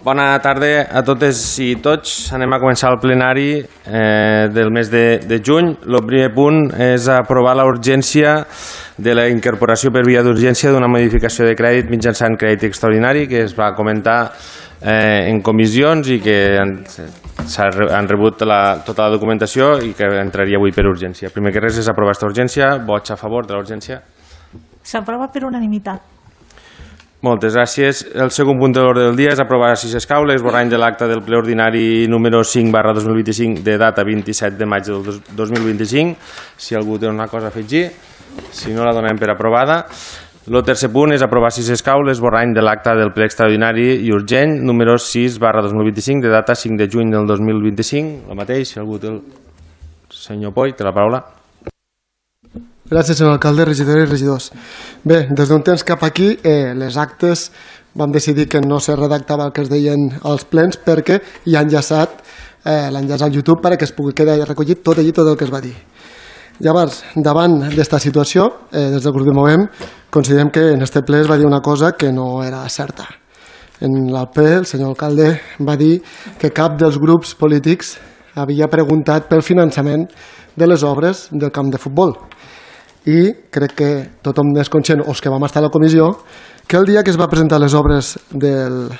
Bona tarda a totes i tots. Anem a començar el plenari del mes de juny. El primer punt és aprovar la urgència de la incorporació per via d'urgència d'una modificació de crèdit mitjançant crèdit extraordinari que es va comentar en comissions i que han rebut tota la documentació i que entraria avui per urgència. Primer que res és aprovar aquesta urgència. Vots a favor de la urgència? S'aprova per unanimitat. Moltes gràcies. El segon punt de l'ordre del dia és aprovar, si s'escau, l'esborrany de l'acte del ple ordinari número 5/2025 de data 27 de maig del 2025. Si algú té una cosa a afegir, si no la donem per aprovada. El tercer punt és aprovar, si s'escau, l'esborrany de l'acte del ple extraordinari i urgent número 6/2025 de data 5 de juny del 2025. El mateix, si algú té el senyor Poi, té la paraula. Gràcies, senyor alcalde, regidores i regidors. Bé, des d'un temps cap aquí, les actes vam decidir que no se redactava el que es deien als plens perquè hi ha enllaçat l'enllaç al YouTube perquè es pugui quedar recollit tot el que es va dir. Llavors, davant d'esta situació, des del grup de Movem, considerem que en este ple es va dir una cosa que no era certa. En el ple, el senyor alcalde va dir que cap dels grups polítics havia preguntat pel finançament de les obres del camp de futbol. I crec que tothom és conscient, o els que vam estar a la comissió, que el dia que es va presentar les obres del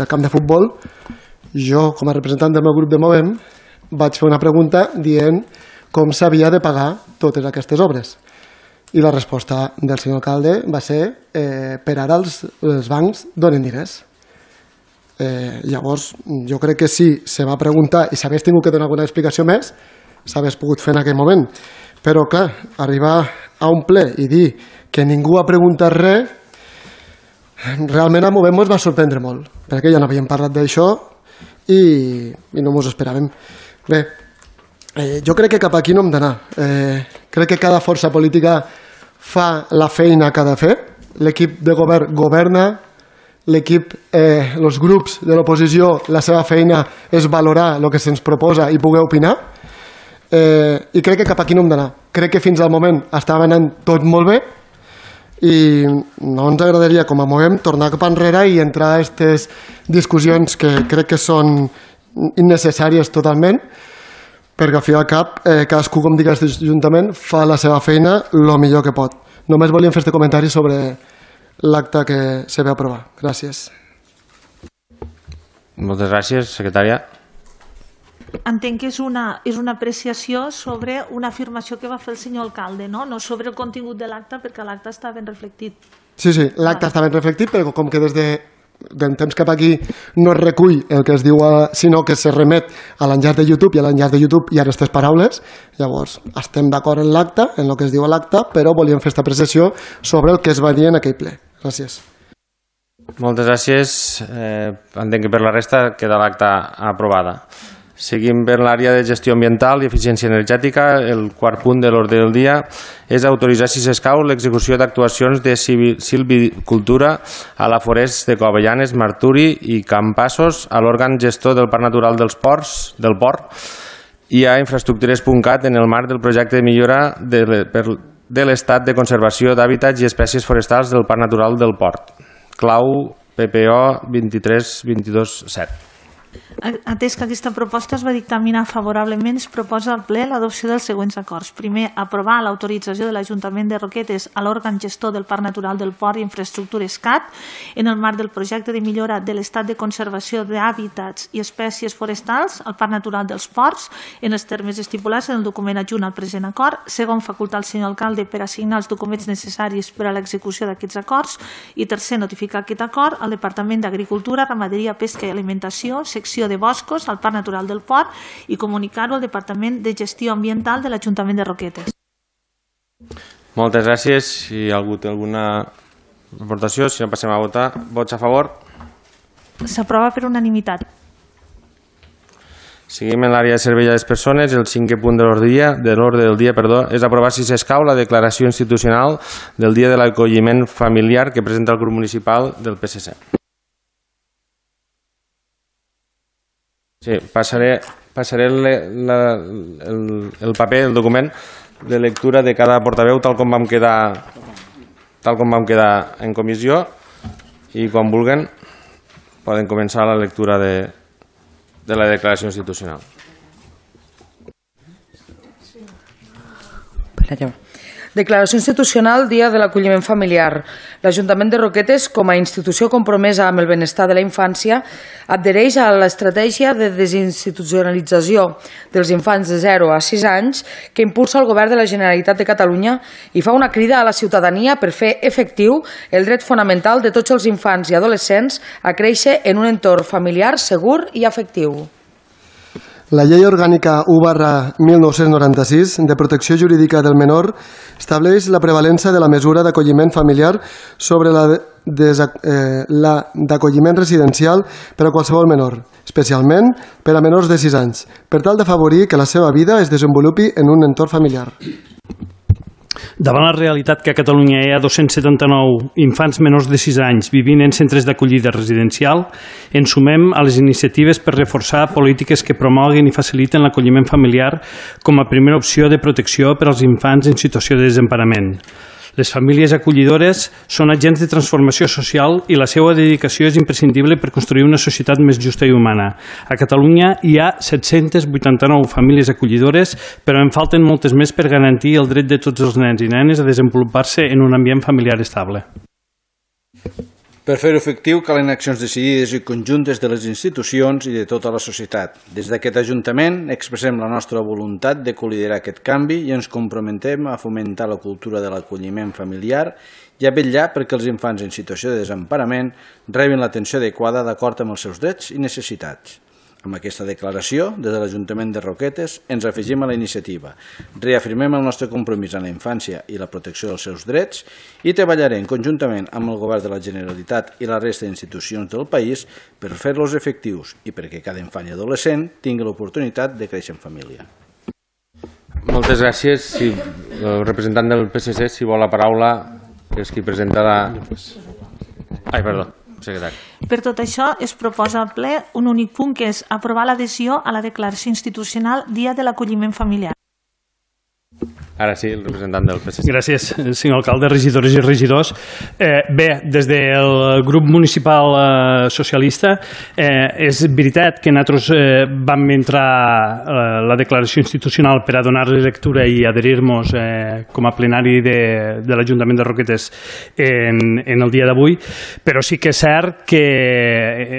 camp de futbol, jo, com a representant del meu grup de Movem, vaig fer una pregunta dient com s'havia de pagar totes aquestes obres. I la resposta del senyor alcalde va ser per ara els bancs donen diners. Llavors, jo crec que si se va preguntar i s'hagués tingut que donar alguna explicació més, s'hagués pogut fer en aquell moment. Però, clar, arribar a un ple i dir que ningú ha preguntat res, realment a Movem ens va sorprendre molt, perquè ja no havíem parlat d'això i no ens ho esperàvem. Bé, jo crec que cap aquí no hem d'anar. Crec que cada força política fa la feina que ha de fer, l'equip de govern governa, l'equip, els grups de l'oposició, la seva feina és valorar el que se'ns proposa i poder opinar, i crec que cap aquí no hem d'anar. Crec que fins al moment estava anant tot molt bé i no ens agradaria, com a Movem, tornar cap enrere i entrar a aquestes discussions que crec que són innecessàries totalment, perquè al fi i al cap cadascú, com dic, aquest ajuntament fa la seva feina el millor que pot. Només volíem fer este comentari sobre l'acte que se va aprovar. Gràcies. Moltes gràcies, secretària. Entenc que és una apreciació sobre una afirmació que va fer el senyor alcalde, no sobre el contingut de l'acte, perquè l'acte està ben reflectit. Sí, l'acte està ben reflectit, però com que des de temps cap aquí no es recull el que es diu, sinó que se remet a l'enllaç de YouTube, i a l'enllaç de YouTube hi ha aquestes paraules, llavors estem d'acord en l'acte, en el que es diu a l'acte, però volíem fer aquesta apreciació sobre el que es va dir en aquell ple. Gràcies. Moltes gràcies. Entenc que per la resta queda l'acta aprovada. Seguim per l'àrea de gestió ambiental i eficiència energètica. El quart punt de l'ordre del dia és autoritzar, si s'escau, l'execució d'actuacions de silvicultura a la Forest de Covellanes, Marturi i Campassos, a l'òrgan gestor del Parc Natural del Port i a infraestructures.cat en el marc del projecte de millora de l'estat de conservació d'hàbitats i espècies forestals del Parc Natural del Port. Clau PPO 23-22-7. Atès que aquesta proposta es va dictaminar favorablement, es proposa al ple l'adopció dels següents acords. Primer, aprovar l'autorització de l'Ajuntament de Roquetes a l'òrgan gestor del Parc Natural del Port i Infraestructures CAT en el marc del projecte de millora de l'estat de conservació d'hàbitats i espècies forestals al Parc Natural dels Ports en els termes estipulats en el document adjunt al present acord. Segon, facultar al senyor alcalde per assignar els documents necessaris per a l'execució d'aquests acords. I tercer, notificar aquest acord al Departament d'Agricultura, Ramaderia, Pesca i Alimentació, secció de Boscos, al Parc Natural del Port, i comunicar-ho al Departament de Gestió Ambiental de l'Ajuntament de Roquetes. Moltes gràcies. Si algú té alguna aportació, si no passem a votar. Vots a favor? S'aprova per unanimitat. Seguim en l'àrea de servei a les persones. El cinquè punt de l'ordre del dia és aprovar, si s'escau, la declaració institucional del Dia de l'Acolliment Familiar que presenta el grup municipal del PSC. Sí, passaré el paper, el document de lectura de cada portaveu tal com vam quedar en comissió, i quan vulguen poden començar la lectura de la declaració institucional. Declaració institucional Dia de l'Acolliment Familiar. L'Ajuntament de Roquetes, com a institució compromesa amb el benestar de la infància, adhereix a l'estratègia de desinstitucionalització dels infants de 0 a 6 anys que impulsa el Govern de la Generalitat de Catalunya i fa una crida a la ciutadania per fer efectiu el dret fonamental de tots els infants i adolescents a créixer en un entorn familiar segur i afectiu. La Llei Orgànica 1/1996 de Protecció Jurídica del Menor estableix la prevalença de la mesura d'acolliment familiar sobre la d'acolliment residencial per a qualsevol menor, especialment per a menors de 6 anys, per tal d'afavorir que la seva vida es desenvolupi en un entorn familiar. Davant la realitat que a Catalunya hi ha 279 infants menors de 6 anys vivint en centres d'acollida residencial, ens sumem a les iniciatives per reforçar polítiques que promoguin i faciliten l'acolliment familiar com a primera opció de protecció per als infants en situació de desemparament. Les famílies acollidores són agents de transformació social i la seva dedicació és imprescindible per construir una societat més justa i humana. A Catalunya hi ha 789 famílies acollidores, però en falten moltes més per garantir el dret de tots els nens i nenes a desenvolupar-se en un ambient familiar estable. Per fer-ho efectiu calen accions decidides i conjuntes de les institucions i de tota la societat. Des d'aquest Ajuntament expressem la nostra voluntat de col·liderar aquest canvi i ens comprometem a fomentar la cultura de l'acolliment familiar i a vetllar perquè els infants en situació de desemparament rebin l'atenció adequada d'acord amb els seus drets i necessitats. Amb aquesta declaració, des de l'Ajuntament de Roquetes, ens afegim a la iniciativa. Reafirmem el nostre compromís en la infància i la protecció dels seus drets i treballarem conjuntament amb el Govern de la Generalitat i la resta d'institucions del país per fer-los efectius i perquè cada infant i adolescent tingui l'oportunitat de créixer en família. Moltes gràcies. El representant del PSC, si vol la paraula, és qui presenta la... Ai, perdó. Per tot això, es proposa al ple un únic punt, que és aprovar l'adhesió a la declaració institucional Dia de l'Acolliment Familiar. Ara sí, el representant del PSC. Gràcies, senyor alcalde, regidores i regidors. Bé, des del grup municipal socialista és veritat que nosaltres vam entrar la declaració institucional per a donar-li lectura i adherir-nos com a plenari de l'Ajuntament de Roquetes en el dia d'avui, però sí que és cert que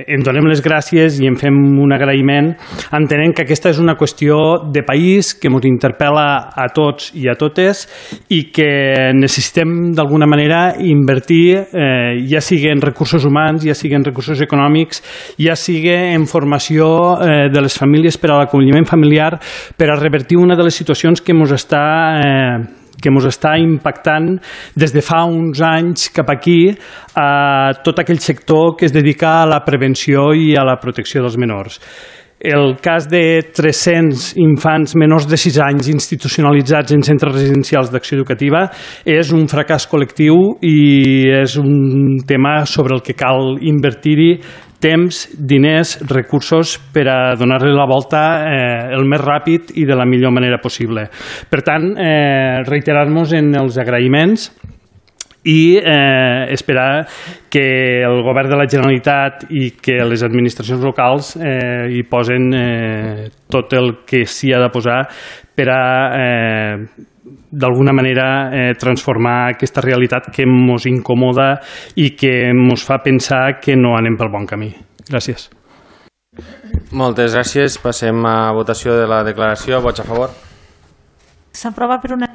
en donem les gràcies i en fem un agraïment entenent que aquesta és una qüestió de país que ens interpel·la a tots i a totes i que necessitem d'alguna manera invertir, ja sigui en recursos humans, ja sigui en recursos econòmics, ja sigui en formació de les famílies per a l'acolliment familiar, per a revertir una de les situacions que ens està impactant des de fa uns anys cap aquí a tot aquell sector que es dedica a la prevenció i a la protecció dels menors. El cas de 300 infants menors de 6 anys institucionalitzats en centres residencials d'acció educativa és un fracàs col·lectiu i és un tema sobre el que cal invertir-hi temps, diners, recursos per a donar-li la volta el més ràpid i de la millor manera possible. Per tant, reiterar-nos en els agraïments i esperar que el Govern de la Generalitat i que les administracions locals hi posen tot el que s'hi ha de posar per a d'alguna manera transformar aquesta realitat que ens incomoda i que ens fa pensar que no anem pel bon camí. Gràcies. Moltes gràcies. Passem a votació de la declaració. Vots a favor? S'aprova per una...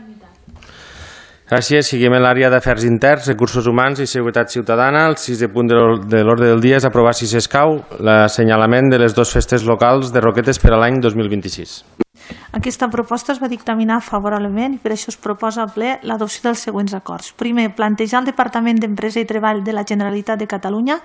Gràcies. Seguim en l'àrea d'Afers Interns, Recursos Humans i Seguretat Ciutadana. El 6è punt de l'ordre del dia és aprovar, si s'escau, l'assenyalament de les 2 festes locals de Roquetes per a l'any 2026. Aquesta proposta es va dictaminar favorablement i per això es proposa al ple l'adopció dels següents acords. Primer, plantejar al Departament d'Empresa i Treball de la Generalitat de Catalunya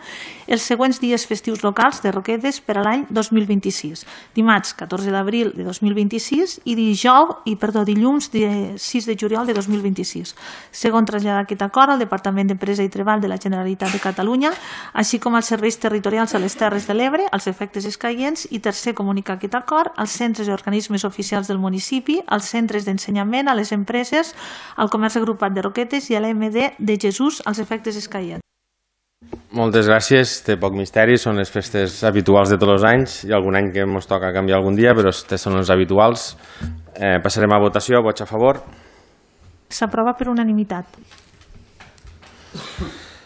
els següents dies festius locals de Roquetes per a l'any 2026. Dimarts 14 d'abril de 2026 i dilluns 6 de juliol de 2026. Segon, traslladar aquest acord al Departament d'Empresa i Treball de la Generalitat de Catalunya, així com als serveis territorials a les Terres de l'Ebre, als efectes escaients, i tercer, comunicar aquest acord als centres i organismes oficials del municipi, als centres d'ensenyament, a les empreses, al comerç agrupat de Roquetes i a l'EMD de Jesús als efectes escaients. Moltes gràcies. Té poc misteri, són les festes habituals de tots els anys. Hi ha algun any que ens toca canviar algun dia, però aquests són els habituals. Passarem a votació. Vots a favor? S'aprova per unanimitat.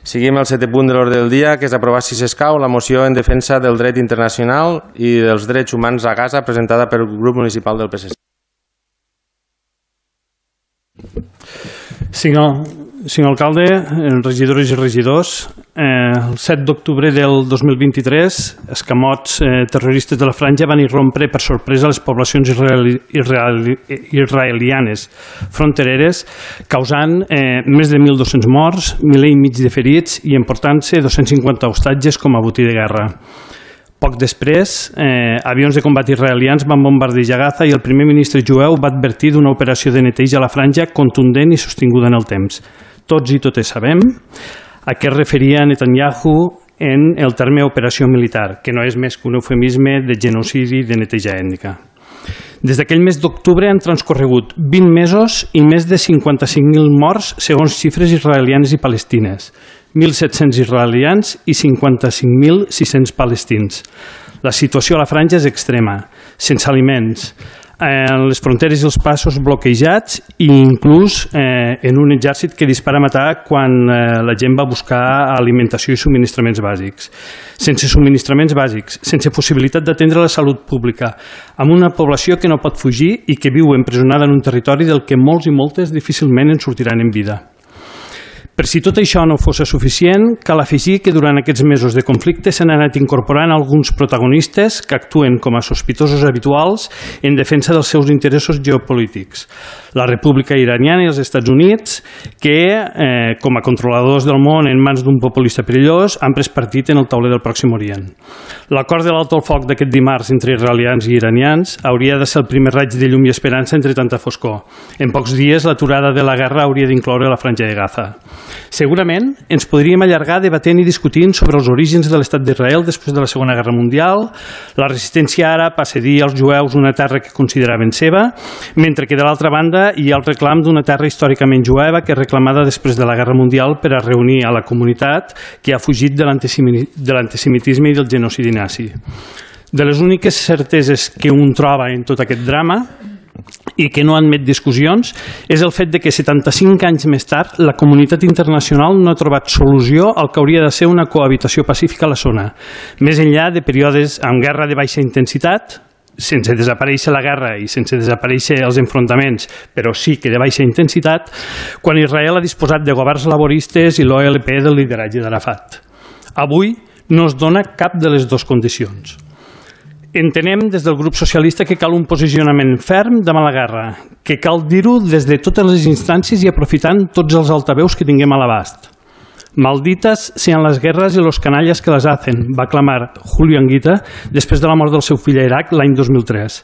Seguim el 7è punt de l'ordre del dia, que és aprovar, si s'escau, la moció en defensa del dret internacional i dels drets humans a Gaza, presentada pel grup municipal del PSC. Senyor alcalde, regidores i regidors, el 7 d'octubre del 2023, escamots terroristes de la Franja van irrompre per sorpresa les poblacions israelianes frontereres, causant més de 1.200 morts, miler i mig de ferits i emportant-se 250 hostatges com a botí de guerra. Poc després, avions de combat israelians van bombardejar Gaza i el primer ministre jueu va advertir d'una operació de neteja a la Franja contundent i sostinguda en el temps. Tots i totes sabem a què es referia Netanyahu en el terme operació militar, que no és més que un eufemisme de genocidi i de neteja ètnica. Des d'aquell mes d'octubre han transcorregut 20 mesos i més de 55.000 morts segons xifres israelianes i palestines. 1.700 israelians i 55.600 palestins. La situació a la Franja és extrema, sense aliments, les fronteres i els passos bloquejats i inclús en un exèrcit que dispara a matar quan la gent va buscar alimentació i subministraments bàsics. Sense subministraments bàsics, sense possibilitat d'atendre la salut pública, amb una població que no pot fugir i que viu empresonada en un territori del que molts i moltes difícilment en sortiran en vida. Per si tot això no fos suficient, cal afegir que durant aquests mesos de conflicte s'han anat incorporant alguns protagonistes que actuen com a sospitosos habituals en defensa dels seus interessos geopolítics. La República Iraniana i els Estats Units, que, com a controladors del món en mans d'un populista perillós, han pres partit en el tauler del Pròxim Orient. L'acord de l'alto al foc d'aquest dimarts entre israelians i iranians hauria de ser el primer raig de llum i esperança entre tanta foscor. En pocs dies, l'aturada de la guerra hauria d'incloure la Franja de Gaza. Segurament ens podríem allargar debatent i discutint sobre els orígens de l'estat d'Israel després de la Segona Guerra Mundial, la resistència àrab a cedir als jueus una terra que consideraven seva, mentre que de l'altra banda hi ha el reclam d'una terra històricament jueva que és reclamada després de la Guerra Mundial per a reunir a la comunitat que ha fugit de l'antisemitisme i del genocidi nazi. De les úniques certeses que un troba en tot aquest drama i que no admet discussions és el fet de que 75 anys més tard la comunitat internacional no ha trobat solució al que hauria de ser una cohabitació pacífica a la zona, més enllà de períodes amb guerra de baixa intensitat, sense desaparèixer la guerra i sense desaparèixer els enfrontaments, però sí que de baixa intensitat, quan Israel ha disposat de governs laboristes i l'OLP del lideratge d'Arafat. Avui no es dona cap de les dues condicions. Entenem des del grup socialista que cal un posicionament ferm davant la guerra, que cal dir-ho des de totes les instàncies i aprofitant tots els altaveus que tinguem a l'abast. Malditas sean las guerras y los canallas que las hacen, va clamar Julio Anguita després de la mort del seu fill a Iraq l'any 2003.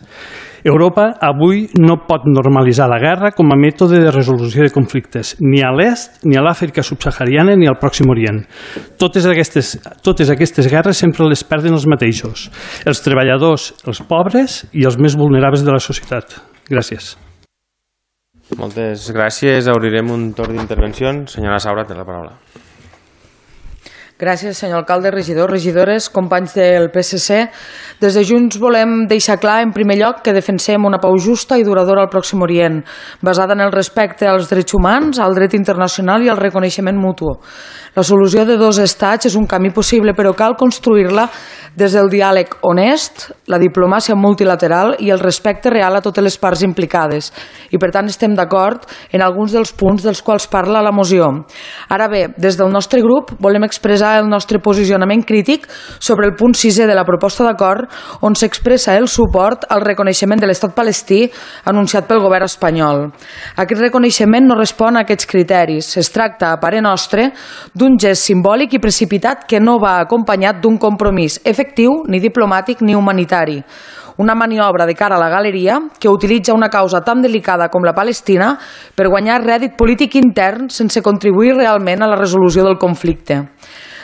Europa avui no pot normalitzar la guerra com a mètode de resolució de conflictes, ni a l'est, ni a l'Àfrica subsahariana, ni al Pròxim Orient. Totes aquestes guerres sempre les perden els mateixos, els treballadors, els pobres i els més vulnerables de la societat. Gràcies. Moltes gràcies. Obrirem un torn d'intervencions. Senyora Saura, té la paraula. Gràcies, senyor alcalde, regidors, regidores, companys del PSC. Des de Junts volem deixar clar, en primer lloc, que defensem una pau justa i duradora al Pròxim Orient, basada en el respecte als drets humans, al dret internacional i al reconeixement mutu. La solució de dos estats és un camí possible, però cal construir-la des del diàleg honest, la diplomàcia multilateral i el respecte real a totes les parts implicades. I, per tant, estem d'acord en alguns dels punts dels quals parla la moció. Ara bé, des del nostre grup volem expressar el nostre posicionament crític sobre el punt 6è de la proposta d'acord on s'expressa el suport al reconeixement de l'estat palestí anunciat pel govern espanyol. Aquest reconeixement no respon a aquests criteris. Es tracta, a parer nostre, d'un gest simbòlic i precipitat que no va acompanyat d'un compromís efectiu, ni diplomàtic ni humanitari. Una maniobra de cara a la galeria que utilitza una causa tan delicada com la Palestina per guanyar rèdit polític intern sense contribuir realment a la resolució del conflicte.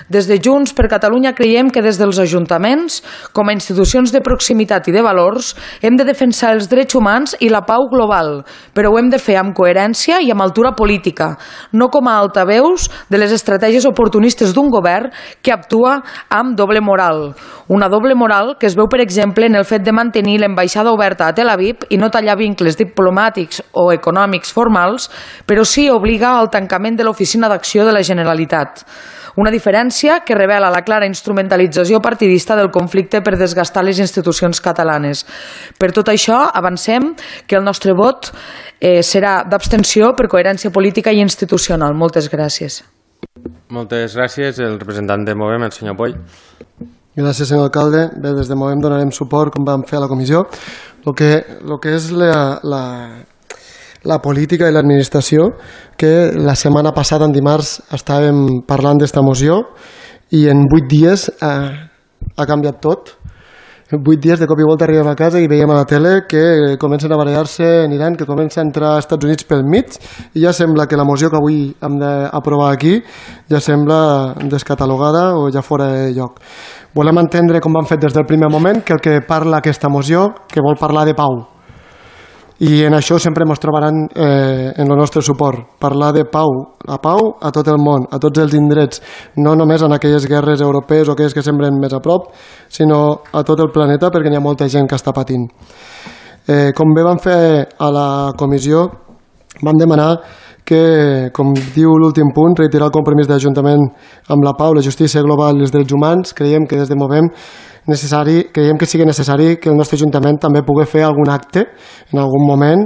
Des de Junts per Catalunya creiem que des dels ajuntaments, com a institucions de proximitat i de valors, hem de defensar els drets humans i la pau global, però ho hem de fer amb coherència i amb altura política, no com a altaveus de les estratègies oportunistes d'un govern que actua amb doble moral. Una doble moral que es veu, per exemple, en el fet de mantenir l'ambaixada oberta a Tel Aviv i no tallar vincles diplomàtics o econòmics formals, però sí obliga al tancament de l'Oficina d'Acció de la Generalitat. Una diferència que revela la clara instrumentalització partidista del conflicte per desgastar les institucions catalanes. Per tot això, avancem que el nostre vot serà d'abstenció per coherència política i institucional. Moltes gràcies. Moltes gràcies. El representant de Movem, el senyor Poll. Gràcies, senyor alcalde. Bé, des de Movem donarem suport, com vam fer a la comissió. El que és la política i l'administració, que la setmana passada, en dimarts, estàvem parlant d'esta moció i en 8 dies ha canviat tot. En 8 dies de cop i volta arribem a casa i veiem a la tele que comencen a barallar-se en Iran, que comença a entrar als Estats Units pel mig, i ja sembla que la moció que avui hem d'aprovar aquí ja sembla descatalogada o ja fora de lloc. Volem entendre, com hem fet des del primer moment, que el que parla aquesta moció, que vol parlar de pau. I en això sempre ens trobaran en el nostre suport. Parlar de pau, la pau a tot el món, a tots els indrets, no només en aquelles guerres europees o aquelles que semblen més a prop, sinó a tot el planeta, perquè n'hi ha molta gent que està patint. Com bé vam fer a la comissió, vam demanar que, com diu l'últim punt, reiterar el compromís de l'Ajuntament amb la pau, la justícia global i els drets humans. Creiem que des de Movem creiem que sigui necessari que el nostre Ajuntament també pugui fer algun acte en algun moment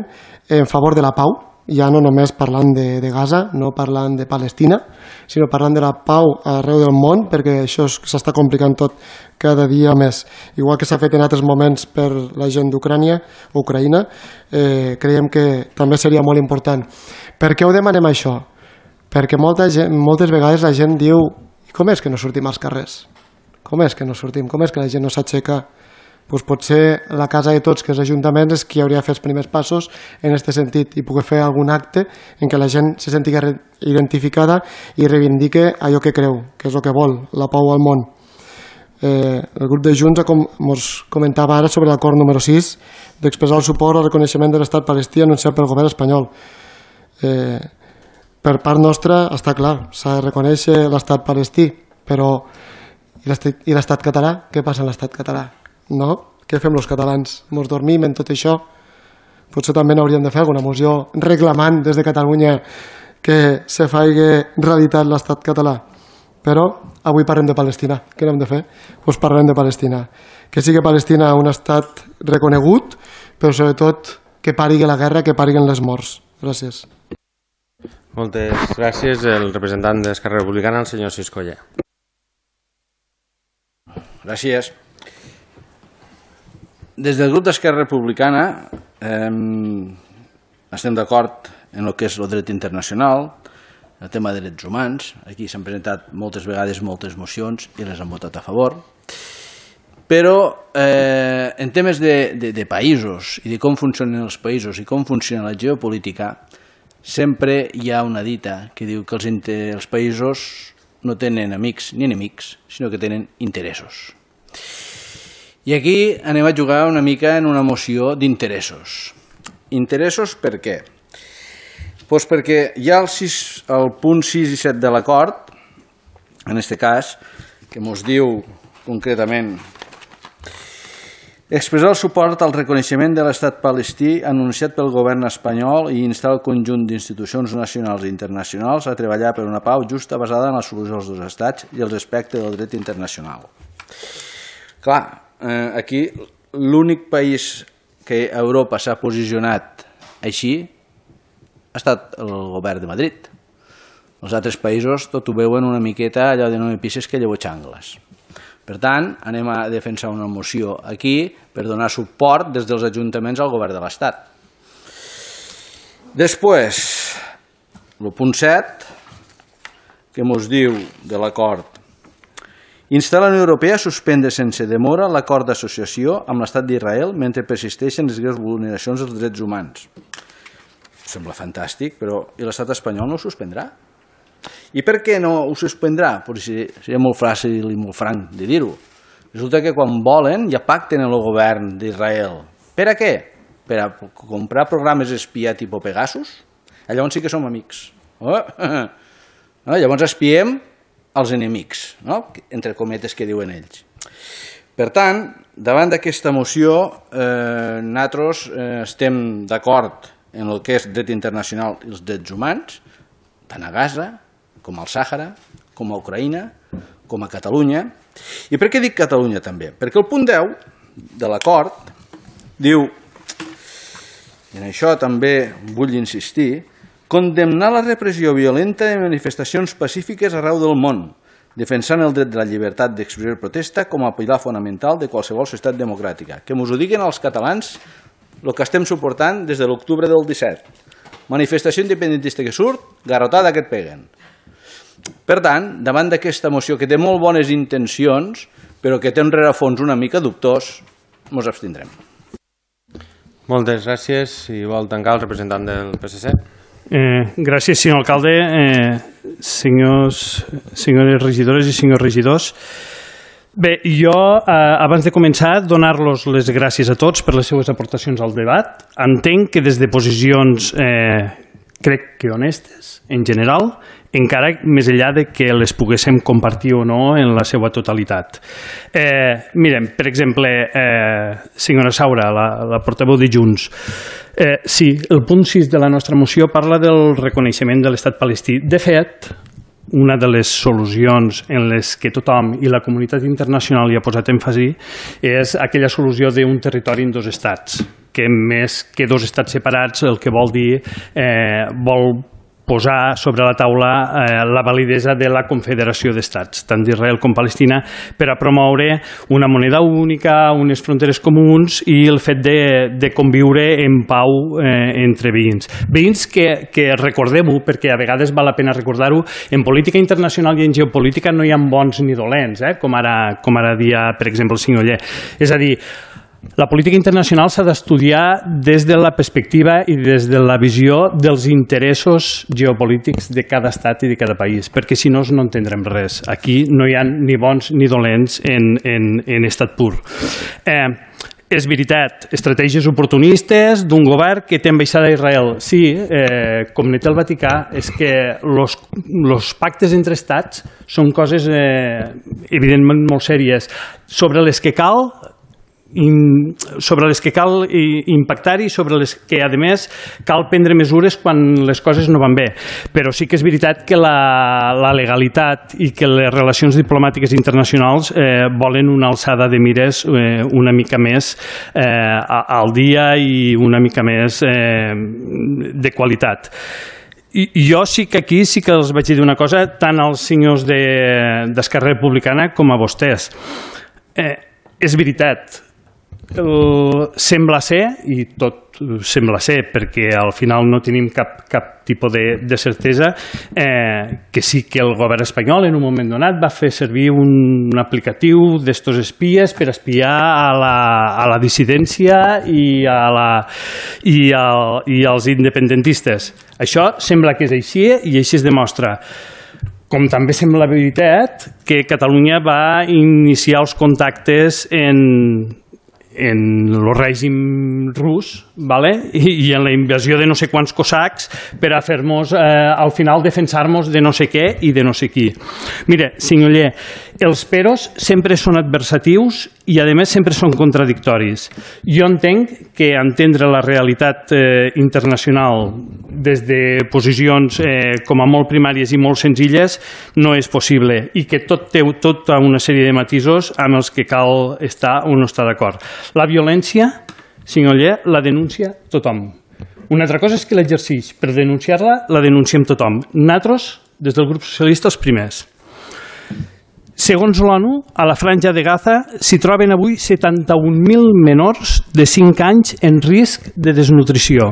en favor de la pau, ja no només parlant de Gaza, no parlant de Palestina, sinó parlant de la pau arreu del món, perquè això s'està complicant tot cada dia més. Igual que s'ha fet en altres moments per la gent d'Ucrània, creiem que també seria molt important. Per què ho demanem això? Perquè moltes vegades la gent diu: com és que no sortim als carrers? Com és que no sortim? Com és que la gent no s'aixeca? Doncs potser la casa de tots, que és l'Ajuntament, és qui hauria de fer els primers passos en aquest sentit i poder fer algun acte en què la gent se senti identificada i reivindique allò que creu, que és el que vol, la pau al món. El grup de Junts ens comentava ara sobre l'acord número 6 d'expressar el suport al reconeixement de l'estat palestí anunciat pel govern espanyol. Per part nostra està clar, s'ha de reconèixer l'estat palestí, però i l'estat català? Què passa en l'estat català? No? Què fem els catalans? Ens dormim en tot això? Potser també n'hauríem de fer alguna moció reclamant des de Catalunya que se faci realitat l'estat català. Però avui parlem de Palestina. Què hem de fer? Doncs parlem de Palestina. Que sigui Palestina un estat reconegut, però sobretot que pari la guerra, que pariguen les morts. Gràcies. Moltes gràcies. El representant d'Esquerra Republicana, el senyor Siscolla. Gràcies. Des del grup d'Esquerra Republicana estem d'acord en el que és el dret internacional, el tema de drets humans. Aquí s'han presentat moltes vegades moltes mocions i les han votat a favor. Però en temes de països i de com funcionen els països i com funciona la geopolítica, sempre hi ha una dita que diu que els països no tenen amics ni enemics, sinó que tenen interessos. I aquí anem a jugar una mica en una moció d'interessos. Interessos per què? Doncs perquè hi ha el punt 6 i 7 de l'acord, en aquest cas, que ens diu concretament: expressar el suport al reconeixement de l'estat palestí anunciat pel govern espanyol i instar el conjunt d'institucions nacionals i internacionals a treballar per una pau justa basada en la solució dels dos estats i el respecte del dret internacional. Clar, aquí l'únic país que a Europa s'ha posicionat així ha estat el govern de Madrid. Els altres països tot ho veuen una miqueta allò de no me pises que llevo xangles. Per tant, anem a defensar una moció aquí per donar suport des dels ajuntaments al govern de l'Estat. Després, el punt 7, que ens diu de l'acord: instar la Unió Europea a suspendre sense demora l'acord d'associació amb l'Estat d'Israel mentre persisteixen les greus vulneracions dels drets humans. Sembla fantàstic, però i l'estat espanyol no ho suspendrà? I per què no ho suspendrà? Seria molt fàcil i molt franc de dir-ho. Resulta que quan volen ja pacten amb el govern d'Israel. Per a què? Per a comprar programes espia tipus Pegasus? Llavors sí que som amics. Llavors espiem els enemics, entre cometes que diuen ells. Per tant, davant d'aquesta moció, nosaltres estem d'acord en el que és dret internacional i els drets humans, tant a Gaza, com al Sàhara, com a Ucraïna, com a Catalunya. I per què dic Catalunya també? Perquè el punt 10 de l'acord diu, i en això també vull insistir, condemnar la repressió violenta de manifestacions pacífiques arreu del món, defensant el dret de la llibertat d'expressió i protesta com a pilar fonamental de qualsevol societat democràtica. Que mos ho diguin els catalans el que estem suportant des de l'octubre del 17. Manifestació independentista que surt, garrotada que et peguen. Per tant, davant d'aquesta moció que té molt bones intencions, però que té un rerefons una mica dubtós, mos abstindrem. Moltes gràcies. Si vol tancar el representant del PSC. Gràcies, senyor alcalde, senyores regidores i senyors regidors. Bé, jo, abans de començar, donar-los les gràcies a tots per les seues aportacions al debat. Entenc que des de posicions, crec que honestes, en general, encara més enllà de que les poguéssim compartir o no en la seva totalitat. Mirem, per exemple, senyora Saura, la portaveu de Junts, sí, el punt 6 de la nostra moció parla del reconeixement de l'estat palestí. De fet, una de les solucions en les que tothom i la comunitat internacional hi ha posat èmfasi és aquella solució d'un territori en dos estats, que més que dos estats separats el que vol dir vol posar sobre la taula la validesa de la confederació d'estats, tant d'Israel com Palestina, per a promoure una moneda única, unes fronteres comuns i el fet de conviure en pau entre veïns. Veïns que recordem-ho, perquè a vegades val la pena recordar-ho, en política internacional i en geopolítica no hi ha bons ni dolents, com ara dia, per exemple, el senyor Oller. És a dir, la política internacional s'ha d'estudiar des de la perspectiva i des de la visió dels interessos geopolítics de cada estat i de cada país, perquè si no no entendrem res. Aquí no hi ha ni bons ni dolents en estat pur. És veritat, estratègies oportunistes d'un govern que té ambaixada a Israel. Sí, com ne té el Vaticà, és que els pactes entre estats són coses evidentment molt sèries, sobre les que cal impactar i sobre les que, a més, cal prendre mesures quan les coses no van bé. Però sí que és veritat que la legalitat i que les relacions diplomàtiques internacionals volen una alçada de mires una mica més al dia i una mica més de qualitat. I jo sí que aquí sí que els vaig dir una cosa, tant als senyors d'Esquerra Republicana com a vostès. És veritat, sembla ser, i tot sembla ser perquè al final no tenim cap tipus de certesa, que sí que el govern espanyol en un moment donat va fer servir un aplicatiu d'estos espies per espiar a la dissidència i als independentistes. Això sembla que és així i així es demostra. Com també sembla veritat que Catalunya va iniciar els contactes en el règim rus i en la invasió de no sé quants cosacs per a fer-nos, al final, defensar-nos de no sé què i de no sé qui. Mira, senyor Oller, els peros sempre són adversatius i, a més, sempre són contradictoris. Jo entenc que entendre la realitat internacional des de posicions com a molt primàries i molt senzilles no és possible i que tot té tota una sèrie de matisos amb els que cal estar o no estar d'acord. La violència, senyor Oller, la denuncia tothom. Una altra cosa és que l'exerceix. Per denunciar-la, la denunciem tothom. Nosaltres, des del grup socialista, els primers. Segons l'ONU, a la franja de Gaza s'hi troben avui 71.000 menors de 5 anys en risc de desnutrició.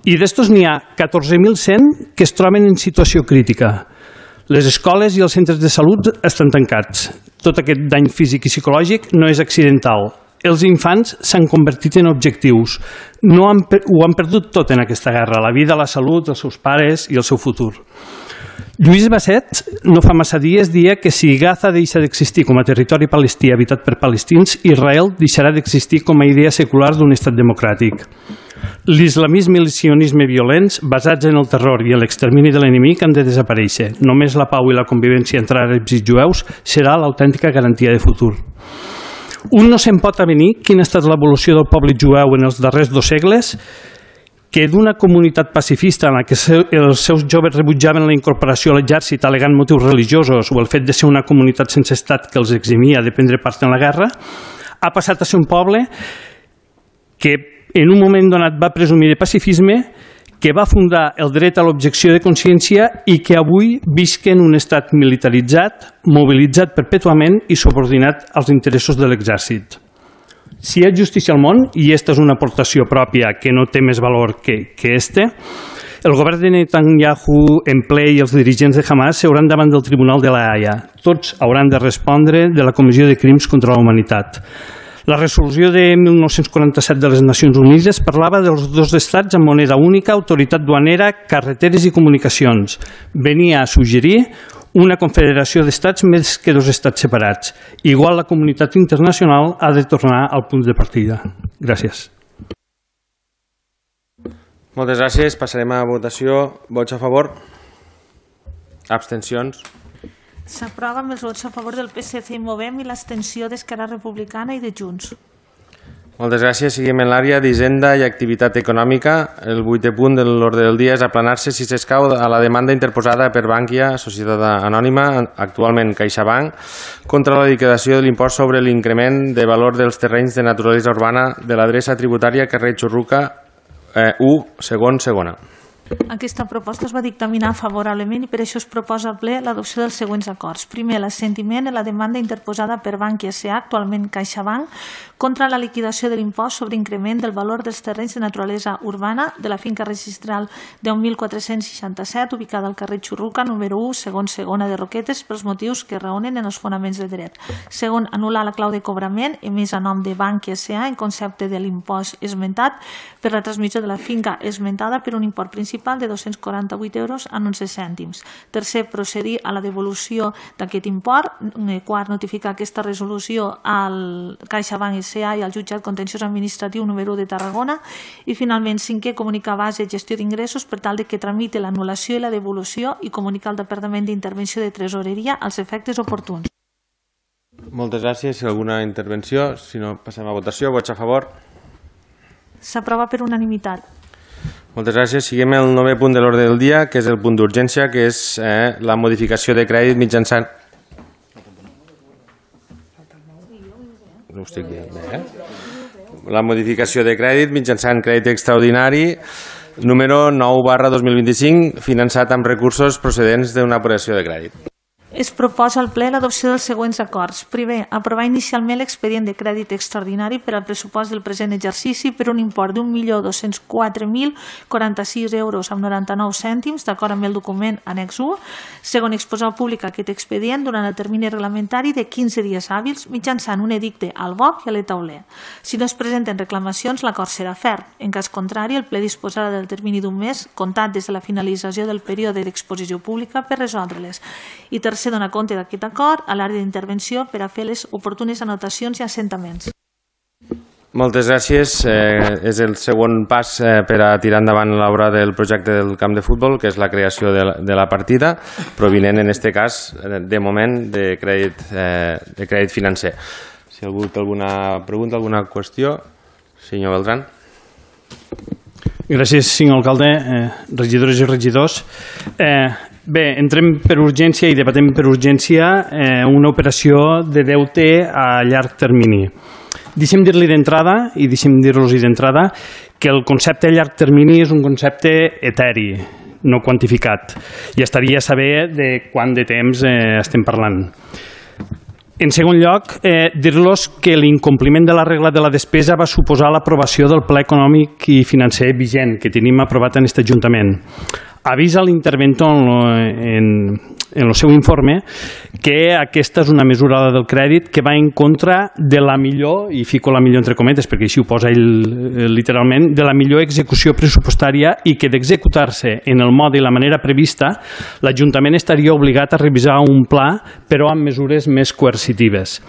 I d'estos n'hi ha 14.100 que es troben en situació crítica. Les escoles i els centres de salut estan tancats. Tot aquest dany físic i psicològic no és accidental. Els infants s'han convertit en objectius. Ho han perdut tot en aquesta guerra, la vida, la salut, els seus pares i el seu futur. Lluís Basset no fa massa dies dia que si Gaza deixa d'existir com a territori palestí habitat per palestins, Israel deixarà d'existir com a idea secular d'un estat democràtic. L'islamisme i el sionisme violents basats en el terror i l'extermini de l'enemic han de desaparèixer. Només la pau i la convivència entre àrabs i jueus serà l'autèntica garantia de futur. Un no se'n pot avenir quina ha estat l'evolució del poble jueu en els darrers 2 segles, que d'una comunitat pacifista en la que els seus joves rebutjaven la incorporació a l'exèrcit al·legant motius religiosos o el fet de ser una comunitat sense estat que els eximia de prendre part en la guerra, ha passat a ser un poble que en un moment donat va presumir de pacifisme, que va fundar el dret a l'objecció de consciència i que avui visca en un estat militaritzat, mobilitzat perpètuament i subordinat als interessos de l'exèrcit. Si hi ha justícia al món, i aquesta és una aportació pròpia que no té més valor que este, el govern de Netanyahu en ple i els dirigents de Hamas seuran davant del Tribunal de la Haia. Tots hauran de respondre de la Comissió de Crims contra la Humanitat. La resolució de 1947 de les Nacions Unides parlava dels 2 estats amb moneda única, autoritat duanera, carreteres i comunicacions. Venia a suggerir una confederació d'estats més que 2 estats separats. Igual la comunitat internacional ha de tornar al punt de partida. Gràcies. Moltes gràcies. Passarem a votació. Vots a favor? Abstencions? S'aprova amb els vots a favor del PSC i Movem i l'abstenció d'Esquerra Republicana i de Junts. Moltes gràcies. Seguim en l'àrea d'Hisenda i Activitat Econòmica. El 8è punt de l'ordre del dia és aplanar-se, si s'escau, a la demanda interposada per Bankia, Societat Anònima, actualment CaixaBank, contra la liquidació de l'impost sobre l'increment de valor dels terrenys de naturalesa urbana de l'adreça tributària carrer Churruca 1, segon, segona. Aquesta proposta es va dictaminar favorablement i per això es proposa al ple l'adopció dels següents acords. Primer, l'assentiment en la demanda interposada per Bankia S.A., actualment CaixaBank, contra la liquidació de l'impost sobre increment del valor dels terrenys de naturalesa urbana de la finca registral 10.467, ubicada al carrer Churruca, número 1, segon, segona de Roquetes, pels motius que raonen en els fonaments de dret. Segon, anul·lar la clau de cobrament emès a nom de Bankia S.A. en concepte de l'impost esmentat per la transmissió de la finca esmentada per un import principal de 248 euros amb 11 cèntims. Tercer, procedir a la devolució d'aquest import. Quart, notificar aquesta resolució al CaixaBank S.A. i al jutjat contenciós administratiu número 1 de Tarragona. I finalment, cinquè, comunicar base gestió d'ingressos per tal de que tramite l'anul·lació i la devolució i comunicar el Departament d'Intervenció de Tresoreria als efectes oportuns. Moltes gràcies. Alguna intervenció? Si no, passem a votació. Vots a favor? S'aprova per unanimitat. Moltes gràcies. Seguim el 9è punt de l'ordre del dia, que és el punt d'urgència, que és la modificació de crèdit mitjançant... No ho estic dient bé, La modificació de crèdit mitjançant crèdit extraordinari número 9/2025, finançat amb recursos procedents d'una operació de crèdit. Es proposa al ple l'adopció dels següents acords. Primer, aprovar inicialment l'expedient de crèdit extraordinari per al pressupost del present exercici per un import d'1.204.046 euros amb 99 cèntims, d'acord amb el document annex 1. Segon, exposar al públic aquest expedient durant el termini reglamentari de 15 dies hàbils mitjançant un edicte al BOC i a l'Etauler. Si no es presenten reclamacions, l'acord serà ferm. En cas contrari, el ple disposarà del termini d'un mes, comptat des de la finalització del període d'exposició pública per resoldre-les. I tercer, donar compte d'aquest acord a l'àrea d'intervenció per a fer les oportunes anotacions i assentaments. Moltes gràcies. És el segon pas per a tirar endavant l'obra del projecte del camp de futbol, que és la creació de la partida, provinent en aquest cas, de moment, de crèdit financer. Si algú té alguna pregunta, alguna qüestió, senyor Beltrán. Gràcies, senyor alcalde, regidores i regidors. Bé, entrem per urgència i debatem per urgència una operació de deute a llarg termini. Deixem dir-li d'entrada i deixem dir-los d'entrada que el concepte a llarg termini és un concepte eteri, no quantificat, i estaria a saber de quant de temps estem parlant. En segon lloc, dir-los que l'incompliment de la regla de la despesa va suposar l'aprovació del Pla Econòmic i Financer vigent que tenim aprovat en aquest Ajuntament. Avís a l'interventor en el seu informe que aquesta és una mesura del crèdit que va en contra de la millor, i fico la millor entre cometes perquè així ho posa ell literalment, de la millor execució pressupostària i que d'executar-se en el mode i la manera prevista, l'Ajuntament estaria obligat a revisar un pla, però amb mesures més coercitives.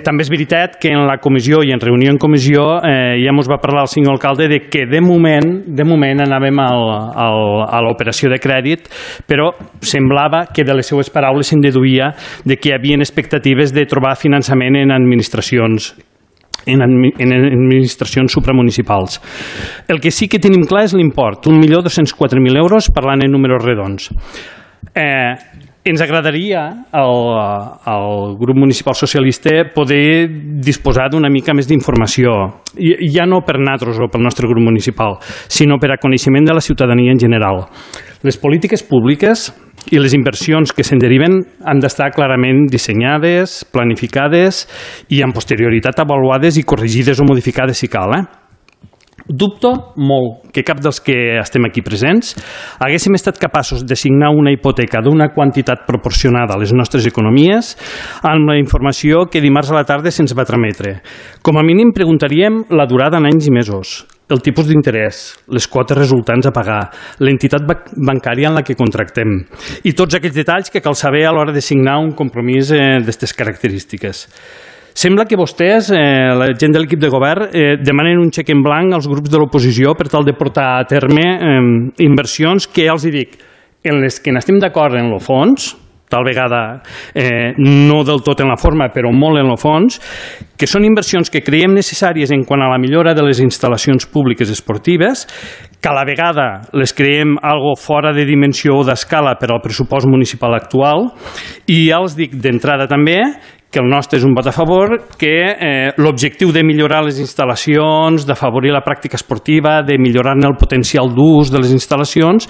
També és veritat que en la comissió i en reunió en comissió ja ens va parlar el senyor alcalde de que de moment anàvem a l'operació de crèdit, però semblava que de les seues paraules se'n deduïa de que hi havia expectatives de trobar finançament en administracions supramunicipals. El que sí que tenim clar és l'import, 1.204.000 euros, parlant en números redons. Ens agradaria al grup municipal socialista poder disposar d'una mica més d'informació, ja no per nosaltres o pel nostre grup municipal, sinó per a coneixement de la ciutadania en general. Les polítiques públiques i les inversions que se'n deriven han d'estar clarament dissenyades, planificades i amb posterioritat avaluades i corregides o modificades si cal. Dubto molt que cap dels que estem aquí presents haguéssim estat capaços de signar una hipoteca d'una quantitat proporcionada a les nostres economies amb la informació que dimarts a la tarda se'ns va trametre. Com a mínim preguntaríem la durada en anys i mesos, el tipus d'interès, les quotes resultants a pagar, l'entitat bancària en la que contractem i tots aquells detalls que cal saber a l'hora de signar un compromís d'aquestes característiques. Sembla que vostès, la gent de l'equip de govern, demanen un xec en blanc als grups de l'oposició per tal de portar a terme inversions que, ja els dic, en les que n'estem d'acord en el fons, tal vegada no del tot en la forma, però molt en el fons, que són inversions que creiem necessàries en quant a la millora de les instal·lacions públiques esportives, que a la vegada les creiem algo fora de dimensió o d'escala per al pressupost municipal actual, i ja els dic d'entrada també que el nostre és un vot a favor, que l'objectiu de millorar les instal·lacions, d'afavorir la pràctica esportiva, de millorar-ne el potencial d'ús de les instal·lacions,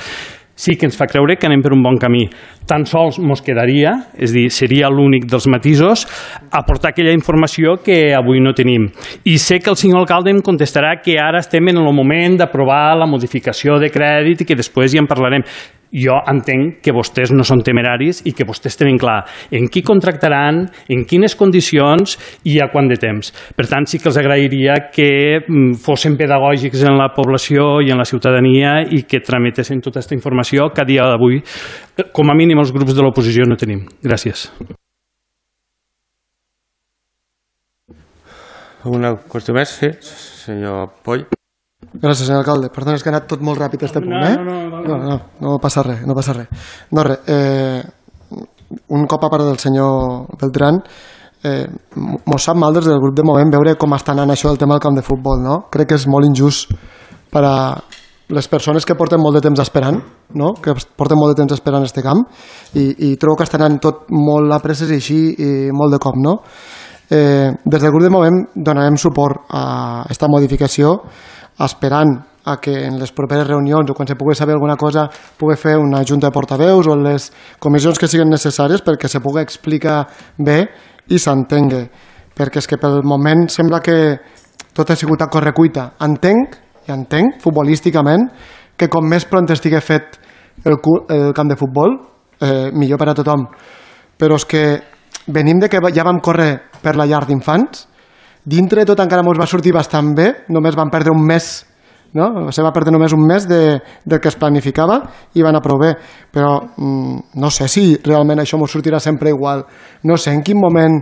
sí que ens fa creure que anem per un bon camí. Tan sols ens quedaria, és a dir, seria l'únic dels matisos, aportar aquella informació que avui no tenim. I sé que el senyor alcalde em contestarà que ara estem en el moment d'aprovar la modificació de crèdit i que després ja en parlarem. Jo entenc que vostès no són temeraris i que vostès tenen clar en qui contractaran, en quines condicions i a quant de temps. Per tant, sí que els agrairia que fossin pedagògics en la població i en la ciutadania i que trametessin tota aquesta informació que a dia d'avui, com a mínim els grups de l'oposició, no tenim. Gràcies. Una qüestió més? Sí, senyor Poll. Gràcies, senyor alcalde. Perdona, és que ha anat tot molt ràpid este punt, No passa res, no passa res. No, res, un cop a part del senyor Beltrán, mos sap mal des del grup de Movem veure com està anant això del tema del camp de futbol, no? Crec que és molt injust per a les persones que porten molt de temps esperant, no? Que porten molt de temps esperant este camp i trobo que està anant tot molt a presses i així i molt de cop, no? Des del grup de Movem donarem suport a aquesta modificació esperant a que en les properes reunions o quan se pugui saber alguna cosa pugui fer una junta de portaveus o les comissions que siguin necessàries perquè se pugui explicar bé i s'entengui, perquè és que pel moment sembla que tot ha sigut a correcuita. Entenc futbolísticament que com més pront estigui fet el camp de futbol millor per a tothom, però és que venim de que ja vam córrer per la llar d'infants. Dintre de tot encara ens va sortir bastant bé, només vam perdre un mes, no? Se va perdre només un mes del que es planificava i va anar prou bé, però no sé si realment això ens sortirà sempre igual, no sé en quin moment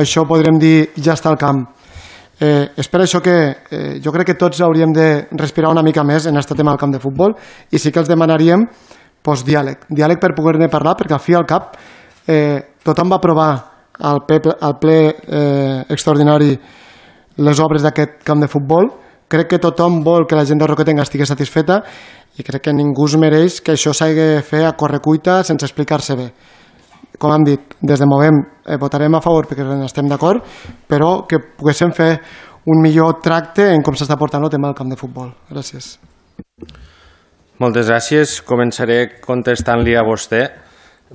això podrem dir ja està al camp. És per això que jo crec que tots hauríem de respirar una mica més en aquest tema del camp de futbol i sí que els demanaríem diàleg per poder-ne parlar, perquè al fi i al cap tothom va aprovar al ple extraordinari les obres d'aquest camp de futbol. Crec que tothom vol que la gent de Roquetenga estigui satisfeta i crec que ningú es mereix que això s'hagi de fer a correcuita sense explicar-se bé. Com hem dit, des de Movem votarem a favor perquè estem d'acord, però que poguéssim fer un millor tracte en com s'està portant el tema del camp de futbol. Gràcies. Moltes gràcies. Començaré contestant-li a vostè.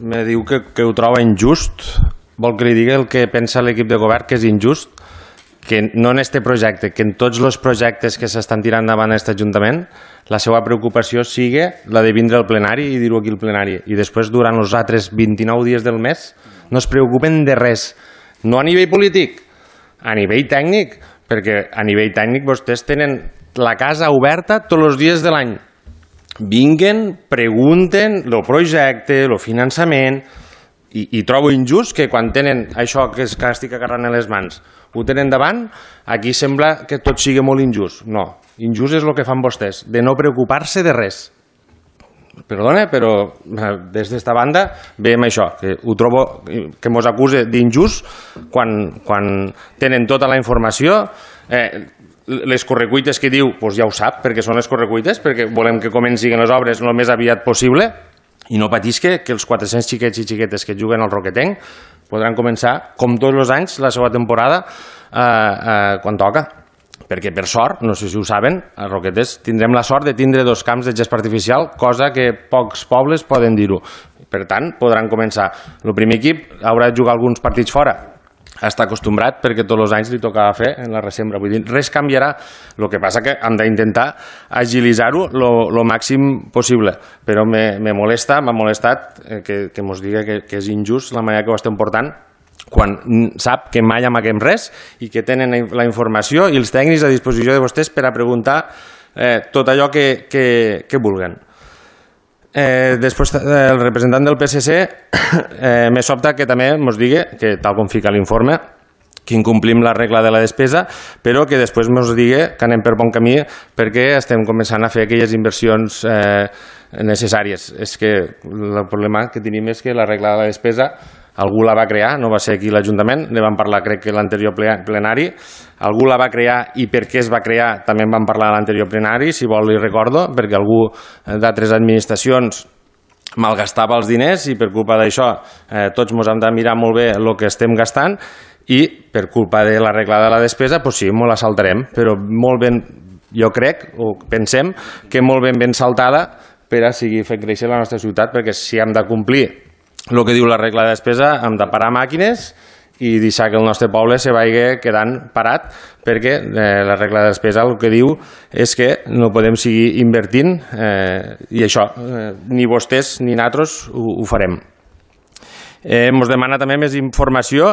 Me diu que ho troba injust. Vol que li digui el que pensa l'equip de govern, que és injust? que no en este projecte, que en tots els projectes que s'estan tirant endavant a aquest Ajuntament, la seva preocupació sigui la de vindre al plenari i dir-ho aquí al plenari. I després, durant els altres 29 dies del mes, no es preocupen de res. No a nivell polític, a nivell tècnic, perquè a nivell tècnic vostès tenen la casa oberta tots els dies de l'any. Vinguen, pregunten el projecte, el finançament, i trobo injust que quan tenen això que estic agarrant a les mans ho tenen davant, aquí sembla que tot sigui molt injust. No, injust és el que fan vostès, de no preocupar-se de res. Perdona, però des d'esta banda veiem això, que ho trobo que mos acuse d'injust quan tenen tota la informació. Les correcuites que diu, doncs ja ho sap, perquè són les correcuites, perquè volem que comencin les obres el més aviat possible, i no patís que els 400 xiquets i xiquetes que juguen al Roquetenc podran començar, com tots els anys, la seva temporada quan toca. Perquè, per sort, no sé si ho saben, a Roquetes tindrem la sort de tindre 2 camps de gespa artificial, cosa que pocs pobles poden dir-ho. Per tant, podran començar. El primer equip haurà de jugar alguns partits fora. Està acostumbrat perquè tots els anys li tocava fer en la resembra. Vull dir, res canviarà. El que passa que hem d'intentar agilitzar-ho el màxim possible. Però m'ha molestat que mos digui que és injust la manera que ho estem portant quan sap que mai amaguem res i que tenen la informació i els tècnics a disposició de vostès per a preguntar tot allò que vulguen. Després el representant del PSC me sobta que també ens digui que tal com fica l'informe que incomplim la regla de la despesa, però que després ens digui que anem per bon camí perquè estem començant a fer aquelles inversions necessàries. És que el problema que tenim és que la regla de la despesa algú la va crear, no va ser aquí l'Ajuntament, ne vam parlar crec que l'anterior plenari, algú la va crear i per què es va crear també en vam parlar a l'anterior plenari, si vol li recordo, perquè algú d'altres administracions malgastava els diners i per culpa d'això tots ens hem de mirar molt bé el que estem gastant i per culpa de la regla de la despesa, doncs sí, molt la saltarem, però molt ben, jo crec, o pensem, que molt ben saltada per a seguir fent créixer la nostra ciutat, perquè si hem de complir el que diu la regla de despesa, hem de parar màquines i deixar que el nostre poble se vagi quedant parat, perquè la regla de despesa el que diu és que no podem seguir invertint i això, ni vostès ni nosaltres ho farem. Ens demana també més informació,